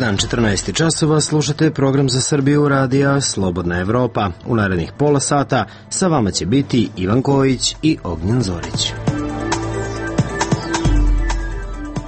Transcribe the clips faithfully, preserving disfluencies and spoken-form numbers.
dan, četrnaest časova, slušate program za Srbiju radija Slobodna Evropa. U narednih pola sata sa vama će biti Ivan Kojić i Ognjen Zorić.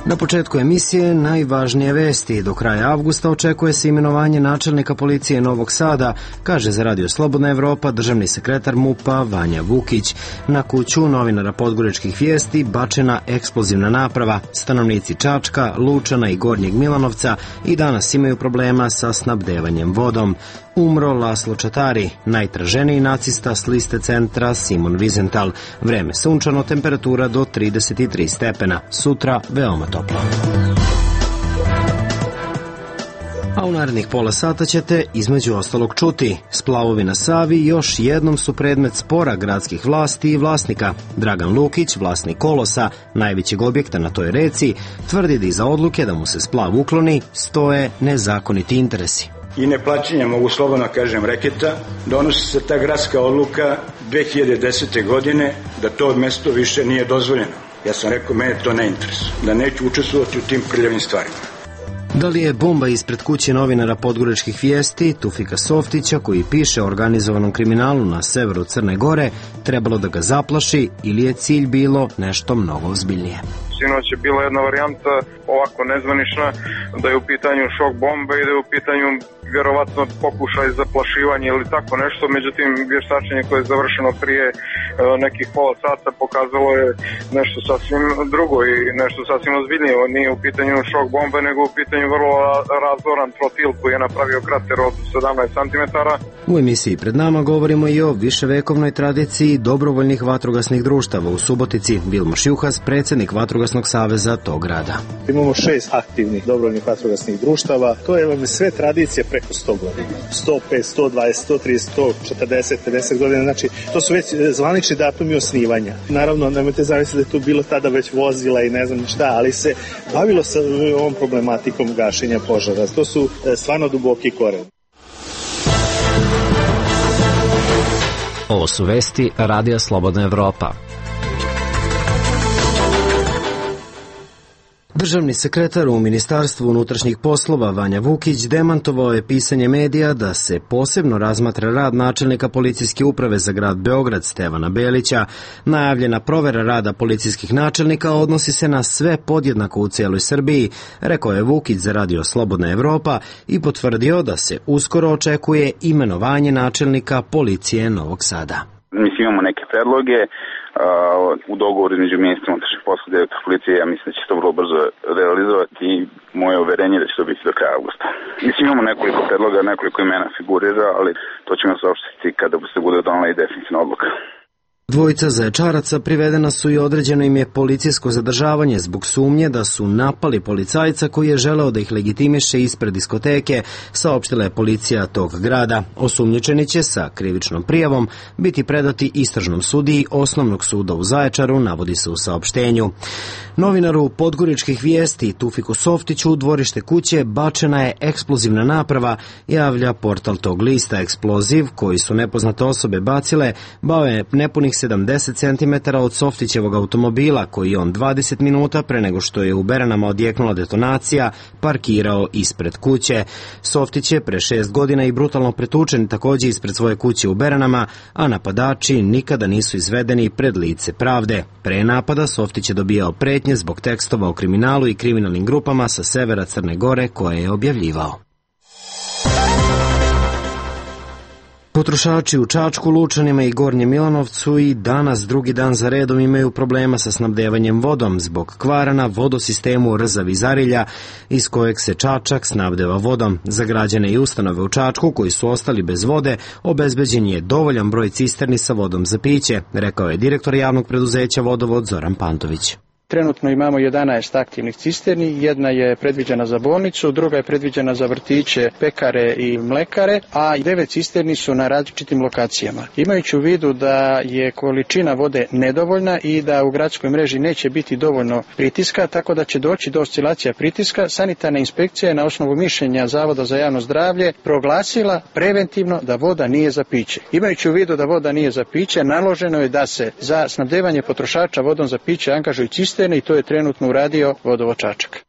Na početku emisije najvažnije vesti. Do kraja avgusta očekuje se imenovanje načelnika policije Novog Sada, kaže za Radio Slobodna Evropa državni sekretar MUP-a Vanja Vukić. Na kuću novinara Podgoričkih vijesti bačena eksplozivna naprava. Stanovnici Čačka, Lučana i Gornjeg Milanovca i danas imaju problema sa snabdevanjem vodom. Umro Laslo Čatari, najtraženiji nacista s liste centra Simon Wiesenthal. Vreme sunčano, temperatura do trideset tri stepena. Sutra veoma toplo. A u narednih pola sata ćete između ostalog čuti. Splavovi na Savi još jednom su predmet spora gradskih vlasti i vlasnika. Dragan Lukić, vlasnik Kolosa, najvećeg objekta na toj reci, tvrdi da iza odluke da mu se splav ukloni stoje nezakoniti interesi. I neplaćanja, mogu slobodno kažem, reketa, donosi se ta gradska odluka dve hiljade desete. godine da to mesto više nije dozvoljeno. Ja sam rekao, mene to ne interesuje, da neću učestvovati u tim prljavim stvarima. Da li je bomba ispred kuće novinara Podgoričkih vijesti Tufika Softića, koji piše o organizovanom kriminalu na severu Crne Gore, trebalo da ga zaplaši ili je cilj bilo nešto mnogo ozbiljnije? Sinoć je bila jedna varijanta ovako nezvanična, da je u pitanju šok bombe i da je u pitanju vjerovatno pokušaj zaplašivanja ili tako nešto, međutim vještačenje koje je završeno prije e, nekih pola sata pokazalo je nešto sasvim drugo i nešto sasvim ozbiljnije. Nije u pitanju šok bombe, nego u pitanju vrlo razoran trotil koji je napravio krater od sedamnaest centimetara. U emisiji pred nama govorimo i o viševekovnoj tradiciji dobrovoljnih vatrogasnih društava u Subotici. Vilmoš Juhas, predsjednik Vatrogasnog saveza tog grada. Imamo šest aktivnih dobrovoljnih vatrogasnih društava. To je vam sve tradicije preko sto godina. sto pet, sto dvadeset, sto trideset, sto četrdeset, pedeset godina. Znači, to su već zvanični datumi osnivanja. Naravno, nemojte zamisliti da je tu bilo tada već vozila i ne znam šta, ali se bavilo sa ovom problematikom gašenja požara. To su stvarno duboki koren. Ovo su vesti Radija Slobodna Evropa. Državni sekretar u Ministarstvu unutrašnjih poslova Vanja Vukić demantovao je pisanje medija da se posebno razmatra rad načelnika policijske uprave za grad Beograd Stevana Belića. Najavljena provera rada policijskih načelnika odnosi se na sve podjednako u cijeloj Srbiji, rekao je Vukić za Radio Slobodna Evropa i potvrdio da se uskoro očekuje imenovanje načelnika policije Novog Sada. Mislim, imamo neke predloge u dogovoru između ministra unutrašnjih poslova i direktora policije. Ja mislim da će se to vrlo brzo realizovati i moje uverenje da će to biti do kraja avgusta. Mislim, imamo nekoliko predloga, nekoliko imena figurira, ali to ćemo saopštiti kada se bude donela i definitivna odluka. Dvojica zaječaraca privedena su i određeno im je policijsko zadržavanje zbog sumnje da su napali policajca koji je želeo da ih legitimiše ispred diskoteke, saopštila je policija tog grada. Osumnjičeni će sa krivičnom prijavom biti predati istražnom sudiji Osnovnog suda u Zaječaru, navodi se u saopštenju. Novinaru Podgoričkih vijesti Tufiku Softiću u dvorište kuće bačena je eksplozivna naprava, javlja portal tog lista. Eksploziv koji su nepoznate osobe bacile bao je nepunih sedamdeset centimetara od Softićevog automobila koji on dvadeset minuta pre nego što je u Beranama odjeknula detonacija parkirao ispred kuće. Softić je pre šest godina i brutalno pretučen također ispred svoje kuće u Beranama, a napadači nikada nisu izvedeni pred lice pravde. Pre napada Softić je dobijao pretnje zbog tekstova o kriminalu i kriminalnim grupama sa severa Crne Gore koje je objavljivao. Potrošači u Čačku, Lučanima i Gornjem Milanovcu i danas drugi dan za redom imaju problema sa snabdevanjem vodom zbog kvara na vodosistemu Rzavi Zarilja iz kojeg se Čačak snabdeva vodom. Za građane i ustanove u Čačku koji su ostali bez vode obezbeđen je dovoljan broj cisterni sa vodom za piće, rekao je direktor javnog preduzeća Vodovod Zoran Pantović. Trenutno imamo jedanaest aktivnih cisterni, jedna je predviđena za bolnicu, druga je predviđena za vrtiće, pekare i mlekare, a devet cisterni su na različitim lokacijama. Imajući u vidu da je količina vode nedovoljna i da u gradskoj mreži neće biti dovoljno pritiska, tako da će doći do oscilacija pritiska, sanitarna inspekcija je na osnovu mišljenja Zavoda za javno zdravlje proglasila preventivno da voda nije za piće. Imajući u vidu da voda nije za piće, naloženo je da se za snabdevanje potrošača vodom za piće angažuju cisterni i to je trenutno uradio Vodovod Čačak.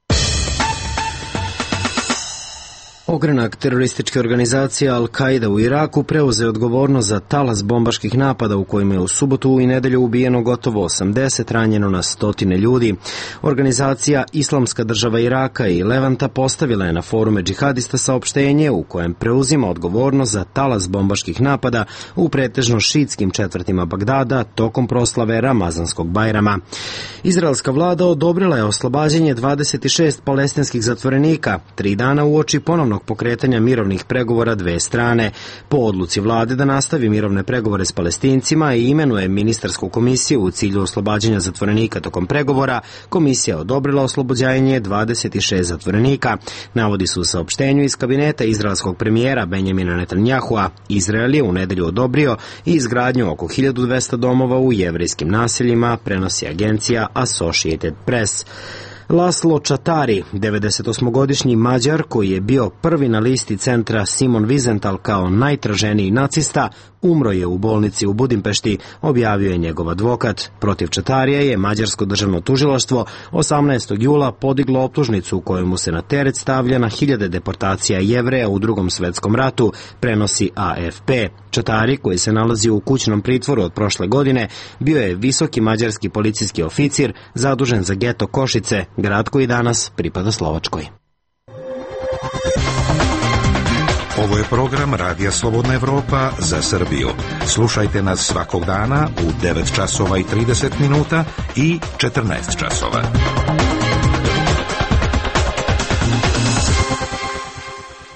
Ogranak terorističke organizacije Al-Qaida u Iraku preuzeo odgovornost za talas bombaških napada u kojima je u subotu i nedelju ubijeno gotovo osamdeset, ranjeno na stotine ljudi. Organizacija Islamska država Iraka i Levanta postavila je na forume džihadista saopštenje u kojem preuzima odgovornost za talas bombaških napada u pretežno šiitskim četvrtima Bagdada tokom proslave Ramazanskog Bajrama. Izraelska vlada odobrila je oslobađanje dvadeset šest palestinskih zatvorenika, tri dana uoči ponovnog pokretanja mirovnih pregovora dve strane. Po odluci vlade da nastavi mirovne pregovore s Palestincima i imenuje ministarsku komisiju u cilju oslobađanja zatvorenika tokom pregovora, komisija je odobrila oslobođenje dvadeset šest zatvorenika. Navodi su u saopštenju iz kabineta izraelskog premijera Benjamina Netanyahua. Izrael je u nedelju odobrio i izgradnju oko hiljadu dvesta domova u jevrejskim naseljima, prenosi agencija Associated Press. Laslo Čatari, devedesetosmogodišnji Mađar koji je bio prvi na listi centra Simon Wiesenthal kao najtraženiji nacista, umro je u bolnici u Budimpešti, objavio je njegov advokat. Protiv Čatarija je mađarsko državno tužilaštvo osamnaestog jula podiglo optužnicu u kojoj mu se na teret stavlja na hiljade deportacija Jevreja u Drugom svetskom ratu, prenosi A F P. Čatari, koji se nalazi u kućnom pritvoru od prošle godine, bio je visoki mađarski policijski oficir zadužen za geto Košice, grad koji danas pripada Slovačkoj. Ovo je program Radija Slobodna Evropa za Srbiju. Slušajte nas svakog dana u devet časova i trideset minuta i četrnaest časova.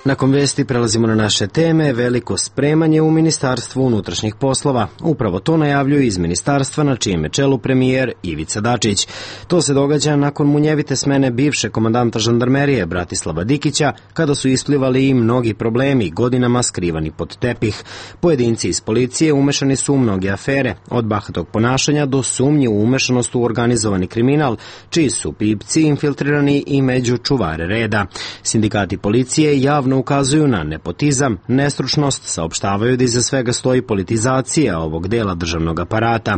Nakon vesti prelazimo na naše teme. Veliko spremanje u Ministarstvu unutrašnjih poslova. Upravo to najavljuju iz ministarstva na čijem je čelu premijer Ivica Dačić. To se događa nakon munjevite smene bivše komandanta žandarmerije Bratislava Dikića, kada su isplivali i mnogi problemi godinama skrivani pod tepih. Pojedinci iz policije umešani su u mnoge afere, od bahatog ponašanja do sumnji u umešanost u organizovani kriminal, čiji su pipci infiltrirani i među čuvare reda. Sindikati policije javno ukazuju na nepotizam, nestručnost, saopštavaju da iza svega stoji politizacija ovog dela državnog aparata.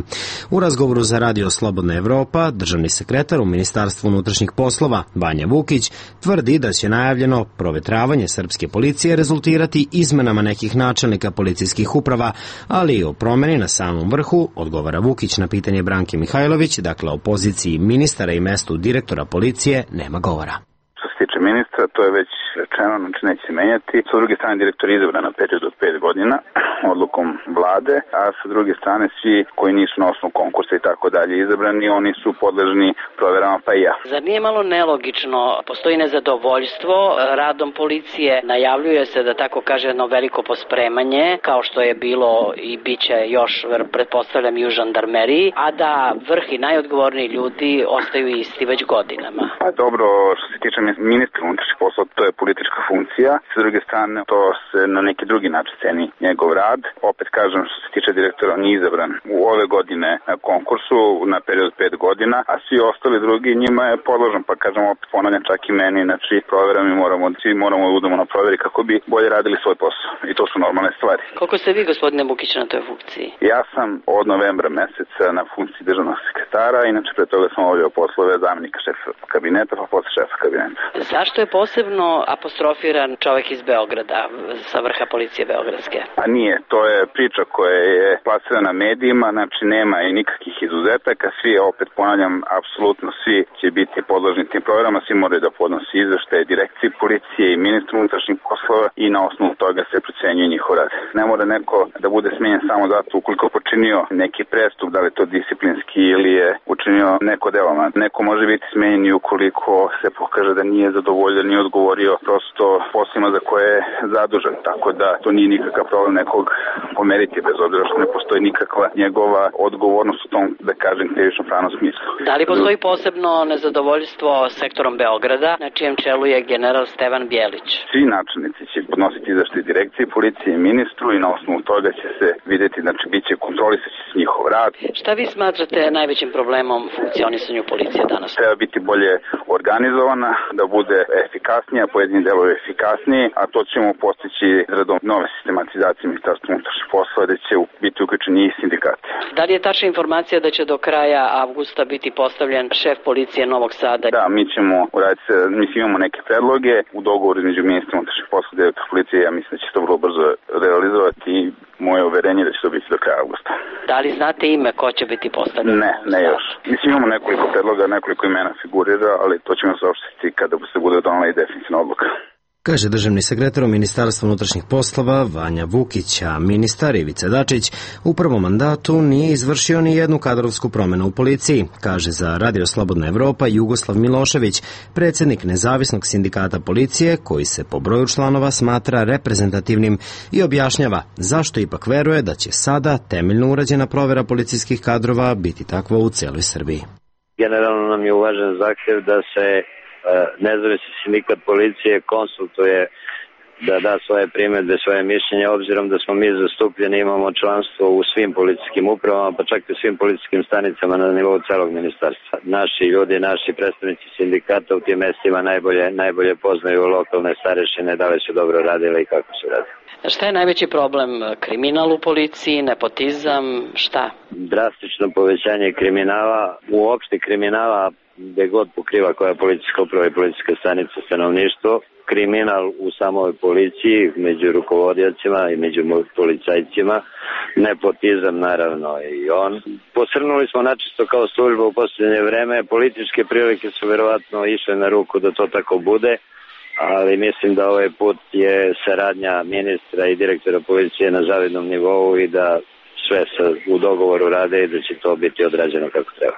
U razgovoru za Radio Slobodna Evropa, državni sekretar u Ministarstvu unutrašnjih poslova, Vanja Vukić, tvrdi da će najavljeno provetravanje srpske policije rezultirati izmenama nekih načelnika policijskih uprava, ali i o promeni na samom vrhu, odgovara Vukić na pitanje Branke Mihajlović, dakle o poziciji ministara i mestu direktora policije nema govora. Što se tiče ministra, to je već rečeno, znači neće se menjati. Sa druge strane, direktor je izabran na period od pet godina odlukom vlade, a sa druge strane svi koji nisu na osnovu konkursa i tako dalje izabrani, oni su podležni proverama, pa i ja. Zar nije malo nelogično? Postoji nezadovoljstvo radom policije, najavljuje se da tako kaže jedno veliko pospremanje, kao što je bilo i biće još, pretpostavljam, i u žandarmeriji, a da vrh i najodgovorniji ljudi ostaju isti već godinama. Pa dobro, što se tiče ministra unutrašnjih poslova, to je politička funkcija. Sa druge strane, to se na neki drugi način ceni njegov rad. Opet kažem, što se tiče direktora, on je izabran u ove godine na konkursu na period pet godina, a svi ostali drugi njima je podložan, pa kažem, opet ponavljam, čak i meni, znači provera mi moramo, svi moramo da budemo na proveri kako bi bolje radili svoj posao. I to su normalne stvari. Koliko ste vi, gospodine Bukić, na toj funkciji? Ja sam od novembra meseca na funkciji državnog sekretara, inače pre toga sam obavljao poslove zamenika šefa kabineta, pa posle šefa kabineta. Zašto je posebno apostrofiran čovek iz Beograda, sa vrha policije beogradske? A nije, to je priča koja je plasirana medijima, znači nema i nikakvih izuzetaka, svi, opet ponavljam, apsolutno svi će biti podložni tim proverama, svi moraju da podnosi izveštaje direkciji policije i ministru unutrašnjih poslova i na osnovu toga se procenjuje njihov rad. Ne mora neko da bude smenjen samo zato ukoliko počinio neki prestup, da li je to disciplinski ili je učinio neko delo. Neko može biti smenjen i ukoliko se pokaže da nije zadovoljan, nije odgovorio prosto poslima za koje je zadužen, tako da to nije nikakav problem nekog pomeriti, bez obzira što ne postoji nikakva njegova odgovornost u tom, da kažem, krivično pravnom smislu. Da li postoji posebno nezadovoljstvo sektorom Beograda, na čijem čelu je general Stevan Bjelić? Svi načelnici će podnositi izveštaj direkciji policije i ministru i na osnovu toga će se videti, znači bit će kontrolisati njihov rad. Šta vi smatrate najvećim problemom samom funkcionisanju policije danas? Treba biti bolje organizovana, da bude efikasnija, pojedini delovi efikasniji, a to ćemo postići izradom nove sistematizacije Ministarstva unutrašnjih poslova, da će biti uključeni i sindikati. Da li je tačna informacija da će do kraja avgusta biti postavljen šef policije Novog Sada? Da, mi ćemo uraditi, mislim imamo neke predloge u dogovoru između Ministarstva unutrašnjih poslova i direktora policije, ja mislim da će to vrlo brzo realizovati i moje uverenje da će to biti do kraja avgusta. Da li znate ime ko će biti postavljen? Ne, ne još. Mislim imamo nekoliko predloga, nekoliko imena figurira, ali to ćemo saopštiti kada se bude donela i definitivna odluka. Kaže državni sekretar u Ministarstvu unutrašnjih poslova Vanja Vukić, a ministar Ivica Dačić u prvom mandatu nije izvršio ni jednu kadrovsku promenu u policiji, kaže za Radio Slobodna Evropa Jugoslav Milošević, predsjednik nezavisnog sindikata policije koji se po broju članova smatra reprezentativnim i objašnjava zašto ipak veruje da će sada temeljno urađena provera policijskih kadrova biti takva u celoj Srbiji. Generalno nam je uvažen zahtjev da se nezavisni sindikat policije konsultuje da da svoje primjedbe, svoje mišljenje, obzirom da smo mi zastupljeni, imamo članstvo u svim policijskim upravama, pa čak i svim policijskim stanicama na nivou celog ministarstva. Naši ljudi, naši predstavnici sindikata u tim mestima najbolje, najbolje poznaju lokalne starešine, da li su dobro radile i kako su radile. Šta je najveći problem? Kriminal u policiji, nepotizam, šta? Drastično povećanje kriminala, uopšte kriminala, gde god pokriva koja policijska uprava i policijska stanica stanovništvo, kriminal u samoj policiji, među rukovodiocima i među policajcima, nepotizam naravno i on. Posrnuli smo načisto kao služba u posljednje vreme, političke prilike su verovatno išle na ruku da to tako bude, ali mislim da ovaj put je saradnja ministra i direktora policije na zavidnom nivou i da sve se u dogovoru rade i da će to biti odrađeno kako treba.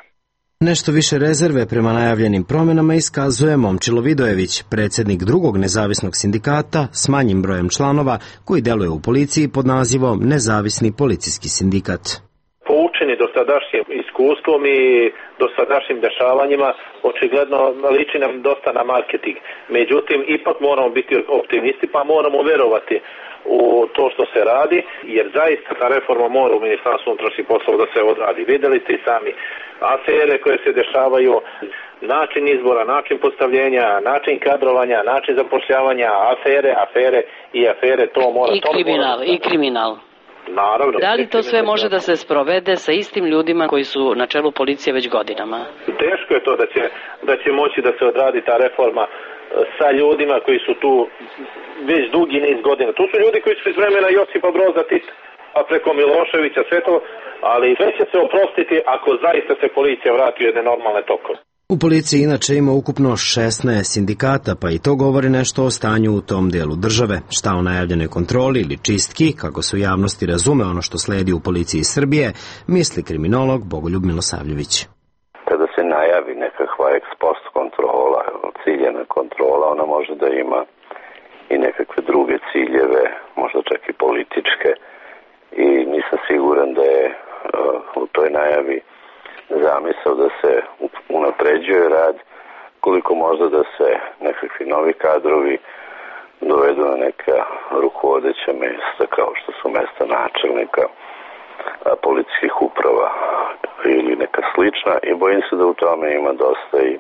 Nešto više rezerve prema najavljenim promjenama iskazuje Momčilo Vidojević, predsjednik drugog nezavisnog sindikata s manjim brojem članova koji deluje u policiji pod nazivom Nezavisni policijski sindikat. Poučeni dosadašnjim iskustvom i dosadašnjim dešavanjima, očigledno liči nam dosta na marketing. Međutim, ipak moramo biti optimisti pa moramo verovati u to što se radi, jer zaista ta reforma mora u Ministarstvu unutrašnjih poslova da se odradi. Videli ste i sami afere koje se dešavaju, način izbora, način postavljenja, način kadrovanja, način zapošljavanja, afere, afere i afere, to mora... I kriminal, i kriminal. Naravno. Da li to sve može da se sprovede sa istim ljudima koji su na čelu policije već godinama? Teško je to da će, da će moći da se odradi ta reforma sa ljudima koji su tu već dugi niz godina. Tu su ljudi koji su iz vremena Josipa Broza Tita, a preko Miloševića, sve to, ali sve će se oprostiti ako zaista se policija vrati u jedne normalne tokove. U policiji inače ima ukupno šesnaest sindikata, pa i to govori nešto o stanju u tom delu države. Šta o najavljenoj kontroli ili čistki, kako se u javnosti razume ono što sledi u policiji Srbije, misli kriminolog Bogoljub Milosavljević. Kada se najavi nekakva ex post kontrola, ciljena kontrola, ona može da ima i nekakve druge ciljeve, možda čak i političke, i nisam siguran da je uh, u toj najavi zamisao da se unapređuje rad, koliko možda da se nekakvi novi kadrovi dovedu na neka rukovodeća mesta kao što su mesta načelnika policijskih uprava ili neka slična, i bojim se da u tome ima dosta i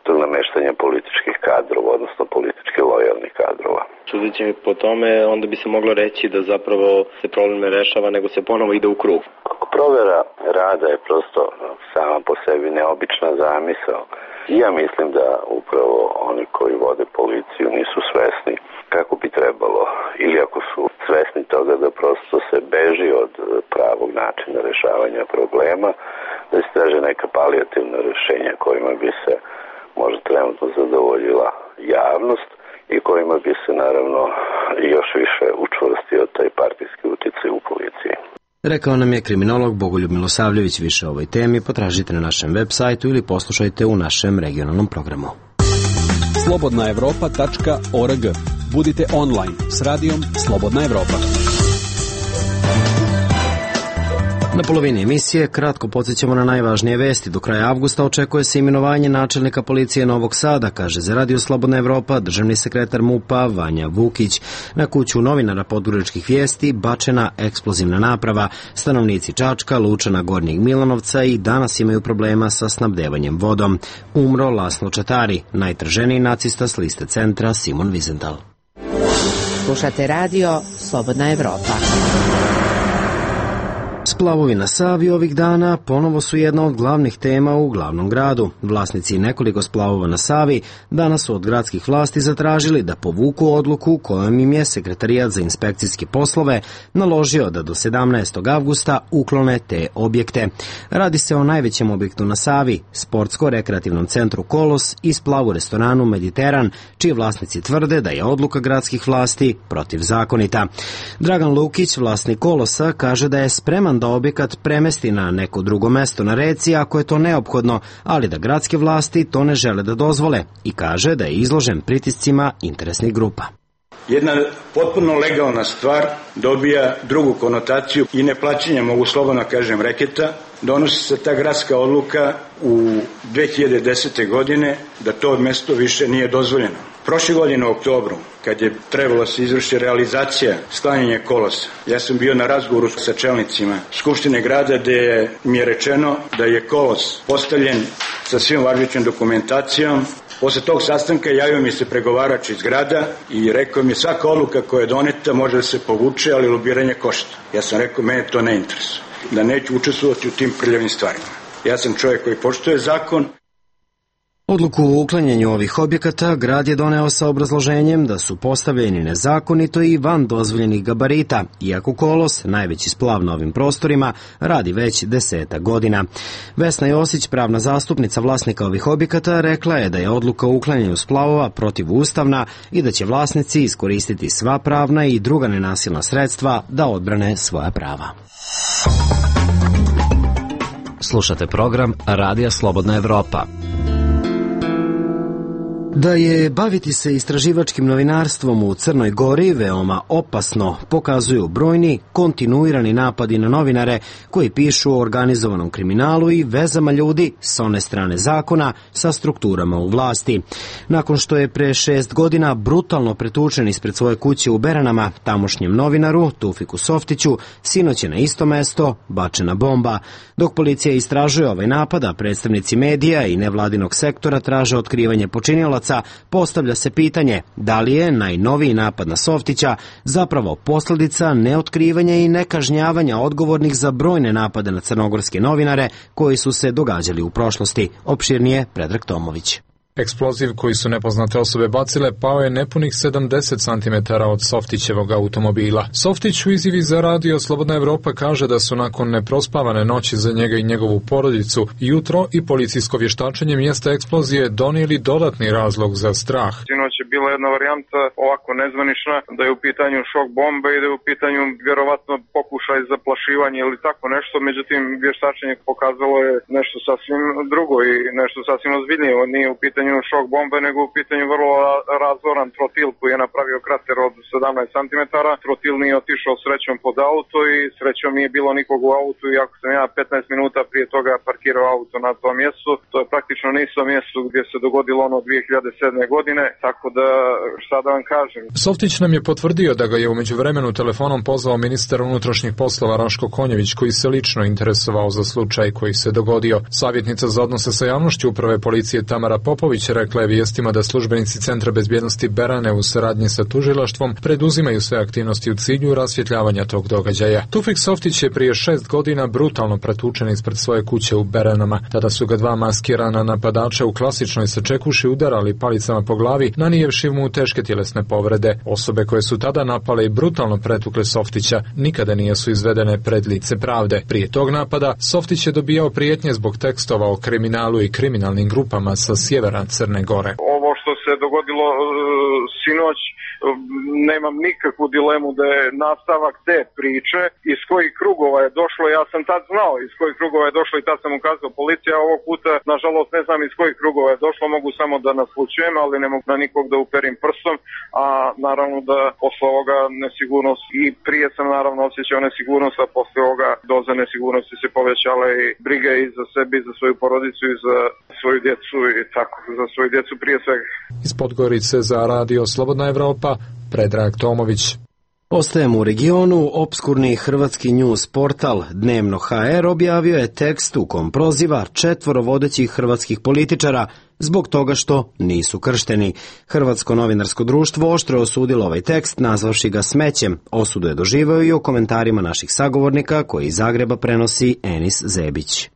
tog nameštanja političkih kadrova, odnosno politički lojalnih kadrova. Sudeći mi po tome, onda bi se moglo reći da zapravo se problem ne rešava, nego se ponovo ide u krug. Provera rada je prosto sama po sebi neobična zamisao. Ja mislim da upravo oni koji vode policiju nisu svesni kako bi trebalo, ili ako su svesni toga da prosto se beži od pravog načina rešavanja problema, da se traže neka palijativna rešenja kojima bi se možda trenutno zadovoljila javnost i kojima bi se naravno još više učvrstio taj partijski uticaj u policiji. Rekao nam je kriminolog Bogoljub Milosavljević. Više o ovoj temi potražite na našem web sajtu ili poslušajte u našem regionalnom programu. slobodna evropa tačka org. Budite online s radijom Slobodna Evropa. Na polovini emisije kratko podsjećamo na najvažnije vesti. Do kraja avgusta očekuje se imenovanje načelnika policije Novog Sada, kaže za Radio Slobodna Evropa državni sekretar MUP-a Vanja Vukić. Na kuću novinara Podgoričkih vijesti bačena eksplozivna naprava. Stanovnici Čačka, Lučana, Gornjeg Milanovca i danas imaju problema sa snabdevanjem vodom. Umro Laslo Čatari, najtraženiji nacista s liste centra Simon Wiesenthal. Slušate Radio Slobodna Evropa. Splavovi na Savi ovih dana ponovo su jedna od glavnih tema u glavnom gradu. Vlasnici nekoliko splavova na Savi danas su od gradskih vlasti zatražili da povuku odluku kojom im je Sekretarijat za inspekcijske poslove naložio da do sedamnaestog avgusta uklone te objekte. Radi se o najvećem objektu na Savi, sportsko-rekreativnom centru Kolos i splavu restoranu Mediteran, čiji vlasnici tvrde da je odluka gradskih vlasti protivzakonita. Dragan Lukić, vlasnik Kolosa, kaže da je spreman da objekat premesti na neko drugo mesto na reci ako je to neophodno, ali da gradske vlasti to ne žele da dozvole i kaže da je izložen pritiscima interesnih grupa. Jedna potpuno legalna stvar dobija drugu konotaciju i neplaćanje, mogu slobodno kažem, reketa. Donosi se ta gradska odluka u dve hiljade desete. godine da to mesto više nije dozvoljeno. Prošle godine u oktobru, kad je trebalo da se izvrši realizacija sklanjanja Kolosa, ja sam bio na razgovoru sa čelnicima Skupštine grada gde mi je rečeno da je Kolos postavljen sa svim važećom dokumentacijom. Posle tog sastanka javio mi se pregovarač iz grada i rekao mi svaka odluka koja je doneta može da se povuče, ali lobiranje košta. Ja sam rekao, mene to ne interesuje, da neću učestvovati u tim prljavim stvarima. Ja sam čovjek koji poštuje zakon. Odluku o uklanjanju ovih objekata grad je doneo sa obrazloženjem da su postavljeni nezakonito i van dozvoljenih gabarita, iako Kolos, najveći splav na ovim prostorima, radi već deseta godina. Vesna Josić, pravna zastupnica vlasnika ovih objekata, rekla je da je odluka o uklanjanju splavova protivustavna i da će vlasnici iskoristiti sva pravna i druga nenasilna sredstva da odbrane svoja prava. Slušate program Radija Slobodna Evropa. Da je baviti se istraživačkim novinarstvom u Crnoj Gori veoma opasno, pokazuju brojni kontinuirani napadi na novinare koji pišu o organizovanom kriminalu i vezama ljudi s one strane zakona sa strukturama u vlasti. Nakon što je pre šest godina brutalno pretučen ispred svoje kuće u Beranama tamošnjem novinaru Tufiku Softiću, sinoć je na isto mesto bačena bomba. Dok policija istražuje ovaj napad, a predstavnici medija i nevladinog sektora traže otkrivanje počinilaca, postavlja se pitanje da li je najnoviji napad na Softića zapravo posljedica neotkrivanja i nekažnjavanja odgovornih za brojne napade na crnogorske novinare koji su se događali u prošlosti. Opširnije Predrag Tomović. Eksploziv koji su nepoznate osobe bacile pao je nepunih sedamdeset centimetara od Softićevog automobila. Softić u izjavi za Radio Slobodna Evropa kaže da su nakon neprospavane noći za njega i njegovu porodicu jutro i policijsko vještačenje mjesta eksplozije donijeli dodatni razlog za strah. Sinoć je bila jedna varijanta ovako nezvanična da je u pitanju šok bombe i da je u pitanju vjerovatno pokušaj zaplašivanja ili tako nešto, međutim vještačenje pokazalo je nešto sasvim drugo i nešto sasvim ozbiljnije. Nije u pitanju šok bombe, nego u pitanju vrlo razoran trotil koji je napravio krater od sedamnaest centimetara. Trotil nije otišao srećom pod auto i srećom nije bilo nikog u autu, iako sam ja petnaest minuta prije toga parkirao auto na tom mjestu. To je praktično na istom mjestu gdje se dogodilo ono dvije hiljade sedme. godine, tako da šta da vam kažem. Softić nam je potvrdio da ga je u međuvremenu telefonom pozvao ministar unutrašnjih poslova Raško Konjević, koji se lično interesovao za slučaj koji se dogodio. Savjetnica za odnose sa javnošću uprave policije Tamara Popović rekla je vijestima da službenici Centra bezbjednosti Berane u saradnji sa tužilaštvom preduzimaju sve aktivnosti u cilju rasvjetljavanja tog događaja. Tufik Softić je prije šest godina brutalno pretučen ispred svoje kuće u Beranama. Tada su ga dva maskirana napadača u klasičnoj sačekuši udarali palicama po glavi, nanijevši mu teške tjelesne povrede. Osobe koje su tada napale i brutalno pretukle Softića nikada nisu izvedene pred lice pravde. Prije tog napada Softić je dobijao prijetnje zbog tekstova o kriminalu i kriminalnim grupama sa sjevera Crne Gore. Ovo što se se dogodilo e, sinoć, e, nemam nikakvu dilemu da je nastavak te priče, iz kojih krugova je došlo, ja sam tad znao iz kojih krugova je došlo i tad sam ukazao policija, ovog puta nažalost ne znam iz kojih krugova je došlo, mogu samo da naslučujem, ali ne mogu na nikog da uperim prstom, a naravno da posle ovoga nesigurnost i prije sam naravno osjećao nesigurnost, a posle ovoga doza nesigurnosti se povećala i briga i za sebe i za svoju porodicu i za svoju djecu i tako, za svoju djecu prije svega. Iz Podgorice za Radio Slobodna Evropa, Predrag Tomović. Ostajemo u regionu. Opskurni hrvatski news portal Dnevno ha er objavio je tekst u kom proziva četvoro vodećih hrvatskih političara zbog toga što nisu kršteni. Hrvatsko novinarsko društvo oštro osudilo ovaj tekst, nazvavši ga smećem. Osudu je doživeo i u komentarima naših sagovornika koji iz Zagreba prenosi Enis Zebić.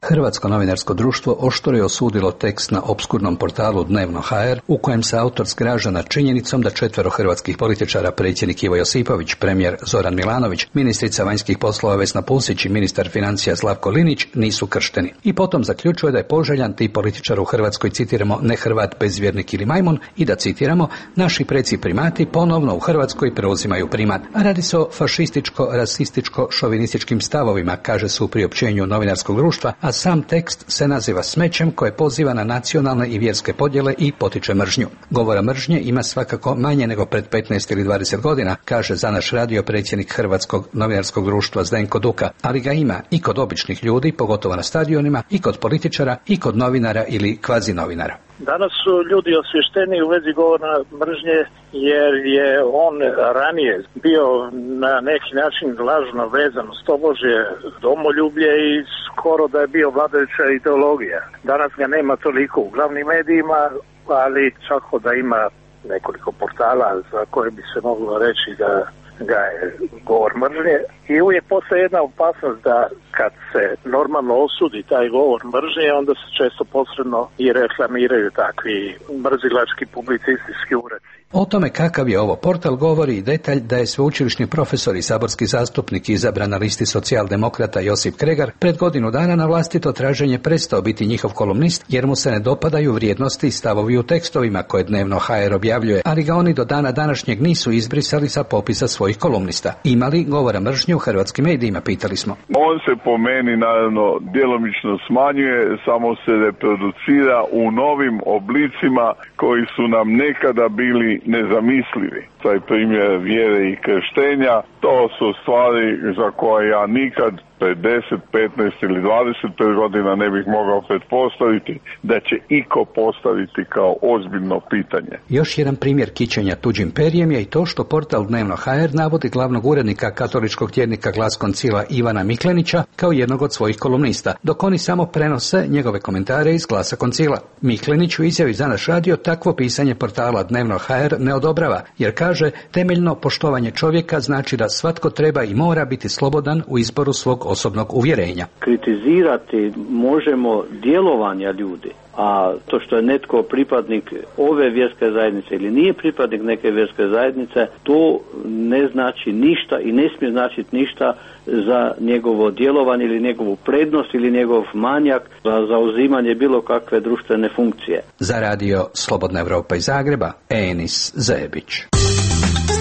Hrvatsko novinarsko društvo oštro je osudilo tekst na opskurnom portalu Dnevno ha er u kojem se autor zgraža nad činjenicom da četvero hrvatskih političara, predsjednik Ivo Josipović, premijer Zoran Milanović, ministrica vanjskih poslova Vesna Pusić i ministar financija Slavko Linić nisu kršteni. I potom zaključuje da je poželjan tip političara u Hrvatskoj, citiramo, ne Hrvat, bezvjernik ili majmun, i da, citiramo, naši preci primati ponovno u Hrvatskoj preuzimaju primat. A radi se o fašističko-rasističko-šovinističkim stavovima, kaže se u priopćenju novinarskog društva, a sam tekst se naziva smećem koje poziva na nacionalne i vjerske podjele i potiče mržnju. Govora mržnje ima svakako manje nego pred petnaest ili dvadeset godina, kaže za naš radio predsjednik Hrvatskog novinarskog društva Zdenko Duka, ali ga ima i kod običnih ljudi, pogotovo na stadionima, i kod političara, i kod novinara ili kvazi novinara. Danas su ljudi osvješteni u vezi govora mržnje jer je on ranije bio na neki način lažno vezan uz tobožje domoljublje i skoro da je bio vladajuća ideologija. Danas ga nema toliko u glavnim medijima, ali čak da ima nekoliko portala za koje bi se moglo reći da ga je govor mržnje. I uvijek postoji jedna opasnost da kad se normalno osudi taj govor mržnje, onda se često posredno i reklamiraju takvi mrzilački publicistički ureci. O tome kakav je ovo portal govori i detalj da je sveučilišni profesor i saborski zastupnik izabran na listi socijaldemokrata Josip Kregar pred godinu dana na vlastito traženje prestao biti njihov kolumnist jer mu se ne dopadaju vrijednosti i stavovi u tekstovima koje Dnevno ha er objavljuje, ali ga oni do dana današnjeg nisu izbrisali sa popisa svojih kolumnista. Ima li govora mržnje u hrvatskim medijima, pitali smo. On se po meni naravno djelomično smanjuje, samo se reproducira u novim oblicima koji su nam nekada bili nezamislivi. Taj primjer vjere i krštenja, to su stvari za koje ja nikad pred deset, petnaest ili dvadeset pet godina ne bih mogao pretpostaviti da će iko postaviti kao ozbiljno pitanje. Još jedan primjer kićenja tuđim perjem je i to što portal Dnevno ha er navodi glavnog urednika katoličkog tjednika Glas Koncila Ivana Miklenića kao jednog od svojih kolumnista, dok oni samo prenose njegove komentare iz Glasa Koncila. Miklenić u izjavi za naš radio takvo pisanje portala Dnevno ha er ne odobrava, jer kaže temeljno poštovanje čovjeka znači da svatko treba i mora biti slobodan u izboru svog osobnog uvjerenja. Kritizirati možemo djelovanja ljudi, a to što je netko pripadnik ove vjerske zajednice ili nije pripadnik neke vjerske zajednice, to ne znači ništa i ne smije značiti ništa za njegovo djelovanje ili njegovu prednost ili njegov manjak za zauzimanje bilo kakve društvene funkcije. Za radio Slobodna Evropa iz Zagreba, Enis Zebić.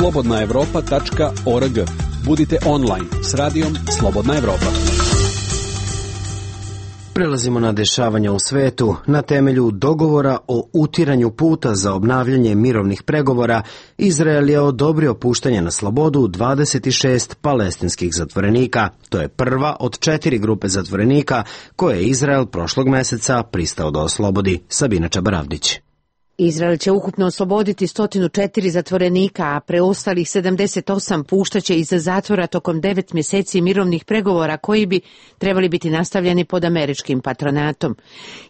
slobodna evropa tačka org. Budite online s radijom Slobodna Evropa. Prelazimo na dešavanja u svetu. Na temelju dogovora o utiranju puta za obnavljanje mirovnih pregovora, Izrael je odobrio puštanje na slobodu dvadeset šest palestinskih zatvorenika. To je prva od četiri grupe zatvorenika koje je Izrael prošlog meseca pristao da oslobodi. Sabina Čabaravdić. Izrael će ukupno osloboditi sto četiri zatvorenika, a preostalih sedamdeset osam puštaće iz zatvora tokom devet mjeseci mirovnih pregovora koji bi trebali biti nastavljeni pod američkim patronatom.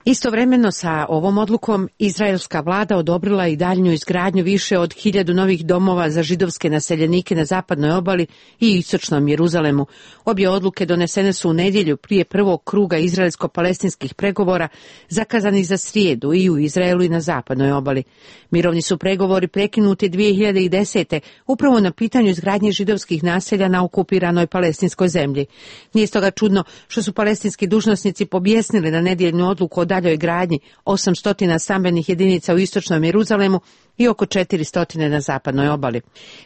Istovremeno sa ovom odlukom izraelska vlada odobrila i daljnju izgradnju više od hiljadu novih domova za židovske naseljenike na zapadnoj obali i istočnom Jeruzalemu. Obje odluke donesene su u nedjelju prije prvog kruga izraelsko-palestinskih pregovora zakazanih za srijedu i u Izraelu i na zapadnoj obali. obali. Mirovni su pregovori prekinuti dvije hiljade desete. upravo na pitanju izgradnje židovskih naselja na okupiranoj palestinskoj zemlji. Nije stoga čudno što su palestinski dužnosnici pobjesnili na nedjeljnu odluku o daljoj gradnji osamsto stambenih jedinica u istočnom Jeruzalemu i oko četiristo na zapadnoj obali.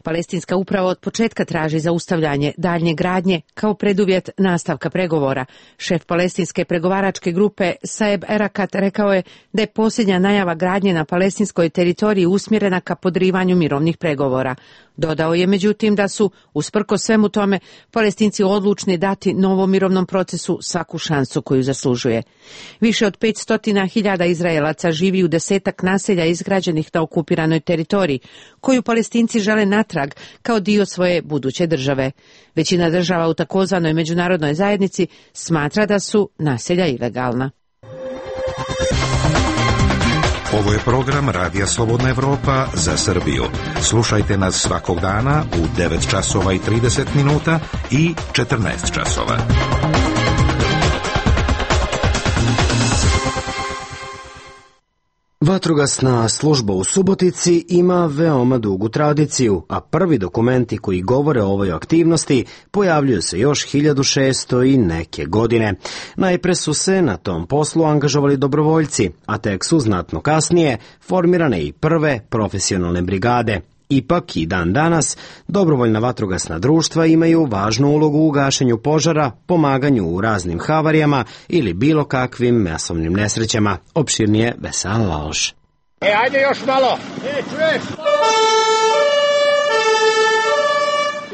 Palestinska uprava od početka traži zaustavljanje daljnje gradnje kao preduvjet nastavka pregovora. Šef palestinske pregovaračke grupe Saeb Erakat rekao je da je posljednja najava gradnje na palestinskoj teritoriji usmjerena ka podrivanju mirovnih pregovora. Dodao je međutim da su, usprkos svemu tome, Palestinci odlučni dati novom mirovnom procesu svaku šansu koju zaslužuje. Više od petsto hiljada Izraelaca živi u desetak naselja izgrađenih na okupiranoj teritoriji, koju Palestinci žele natrag kao dio svoje buduće države. Većina država u takozvanoj međunarodnoj zajednici smatra da su naselja ilegalna. Ovo je program Radija Slobodna Evropa za Srbiju. Slušajte nas svakog dana u devet časova i trideset minuta i četrnaest časova. Vatrogasna služba u Subotici ima veoma dugu tradiciju, a prvi dokumenti koji govore o ovoj aktivnosti pojavljuju se još hiljadu šeststo i neke godine. Najpre su se na tom poslu angažovali dobrovoljci, a tek su znatno kasnije formirane i prve profesionalne brigade. Ipak i dan danas dobrovoljna vatrogasna društva imaju važnu ulogu u gašenju požara, pomaganju u raznim havarijama ili bilo kakvim masovnim nesrećama. Opširnije Vesela Laloš. E, ajde još malo! E, čuješ?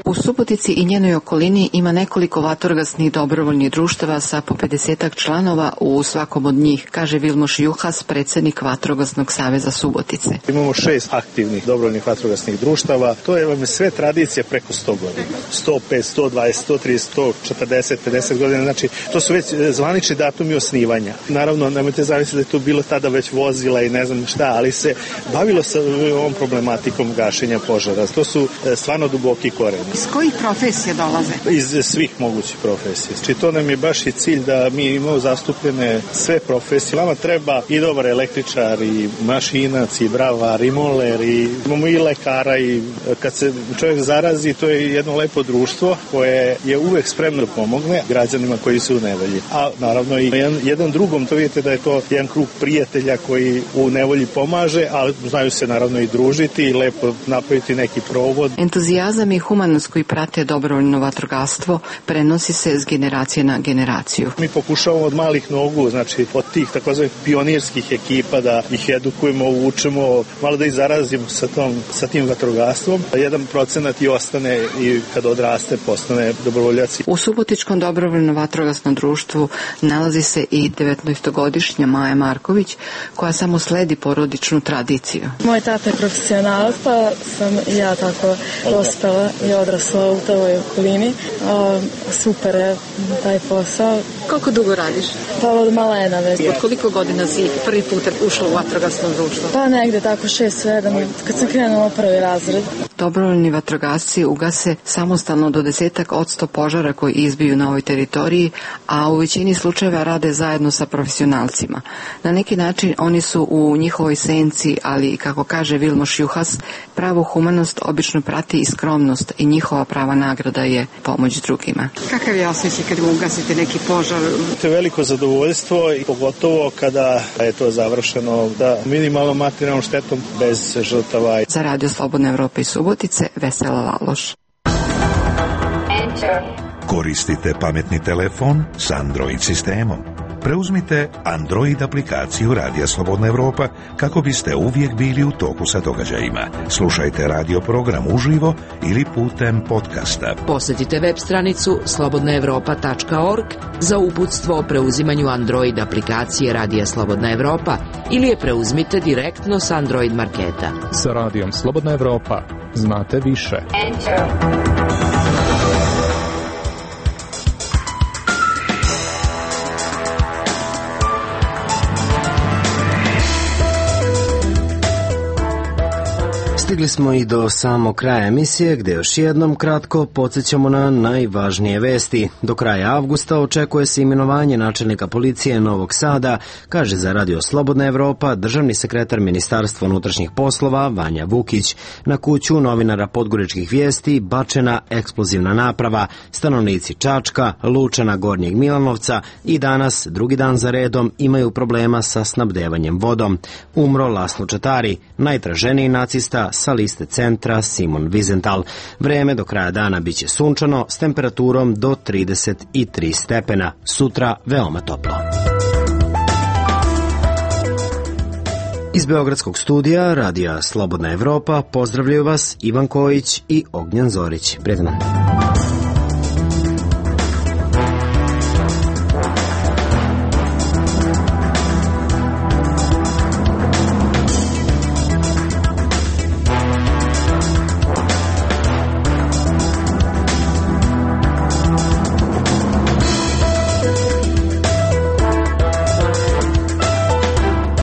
U Subotici i njenoj okolini ima nekoliko vatrogasnih dobrovoljnih društava sa po pedesetak članova u svakom od njih, kaže Vilmoš Juhas, predsjednik Vatrogasnog saveza Subotice. Imamo šest aktivnih dobrovoljnih vatrogasnih društava. To je vam sve tradicije preko sto godina. sto pet, sto dvadeset, sto trideset, sto četrdeset, pedeset godina. Znači, to su već zvanični datumi osnivanja. Naravno, nemojte zamisliti da je tu bilo tada već vozila i ne znam šta, ali se bavilo sa ovom problematikom gašenja požara. To su stvarno duboki koreni. Iz kojih profesija dolaze? Iz svih mogućih profesija. Znači, to nam je baš i cilj da mi imamo zastupljene sve profesije. Nama treba i dobar električar, i mašinac, i bravar, i moler, i imamo i lekara, i kad se čovjek zarazi, to je jedno lepo društvo koje je uvek spremno da pomogne građanima koji su u nevolji. A naravno i jedan, jedan drugom, to vidite da je to jedan krug prijatelja koji u nevolji pomaže, ali znaju se naravno i družiti i lepo napraviti neki provod. Entuzijazam i humanost koji prate dobrovoljno vatrogastvo prenosi se s generacije na generaciju. Mi pokušavamo od malih nogu, znači od tih takozvanih pionirskih ekipa da ih edukujemo, učimo, malo da ih zarazimo sa, tom, sa tim vatrogastvom. Jedan procenat i ostane i kad odraste postane dobrovoljaci. U Subotičkom dobrovoljno vatrogasnom društvu nalazi se i devetnaestogodišnja Maja Marković koja samo sledi porodičnu tradiciju. Moj tata je profesionalac, pa sam ja tako dospela i odrasla u toj okolini. A, super je taj posao. Koliko dugo radiš? Pa od malena već. Od koliko godina si prvi put ušla u vatrogasno društvo? Pa negde tako šest sedam, kad sam krenula prvi razred. Dobrovoljni vatrogasci ugase samostalno do desetak od sto požara koji izbiju na ovoj teritoriji, a u većini slučajeva rade zajedno sa profesionalcima. Na neki način oni su u njihovoj senci, ali kako kaže Vilmoš Juhas, pravu humanost obično prati i skromnost i njihova prava nagrada je pomoć drugima. Kakav je osjećaj kad ugasite neki požar? To je veliko zadovoljstvo i pogotovo kada je to završeno da minimalno materijalnom štetom bez žrtava. Za Radio Slobodna Evropa i Subotice, Vesela Laloš. Koristite pametni telefon s Android sistemom. Preuzmite Android aplikaciju Radija Slobodna Evropa kako biste uvijek bili u toku sa događajima. Slušajte radio program uživo ili putem podcasta. Posjetite web stranicu slobodna evropa tačka org za uputstvo o preuzimanju Android aplikacije Radija Slobodna Evropa ili je preuzmite direktno s Android marketa. Sa Radijom Slobodna Evropa znate više. Enter. Stigli smo i do samog kraja emisije, gde još jednom kratko podsjećamo na najvažnije vesti. Do kraja avgusta očekuje se imenovanje načelnika policije Novog Sada, kaže za Radio Slobodna Evropa državni sekretar Ministarstva unutrašnjih poslova Vanja Vukić. Na kuću novinara Podgoričkih vijesti bačena eksplozivna naprava. Stanovnici Čačka, Lučana, Gornjeg Milanovca i danas, drugi dan za redom, imaju problema sa snabdevanjem vodom. Umro Laslo Čatari, najtraženiji nacista sa liste centra Simon Wiesenthal. Vreme do kraja dana biće sunčano s temperaturom do trideset tri stepena. Sutra veoma toplo. Iz Beogradskog studija Radija Slobodna Evropa pozdravljaju vas Ivan Kojić i Ognjen Zorić. Prijetan dan.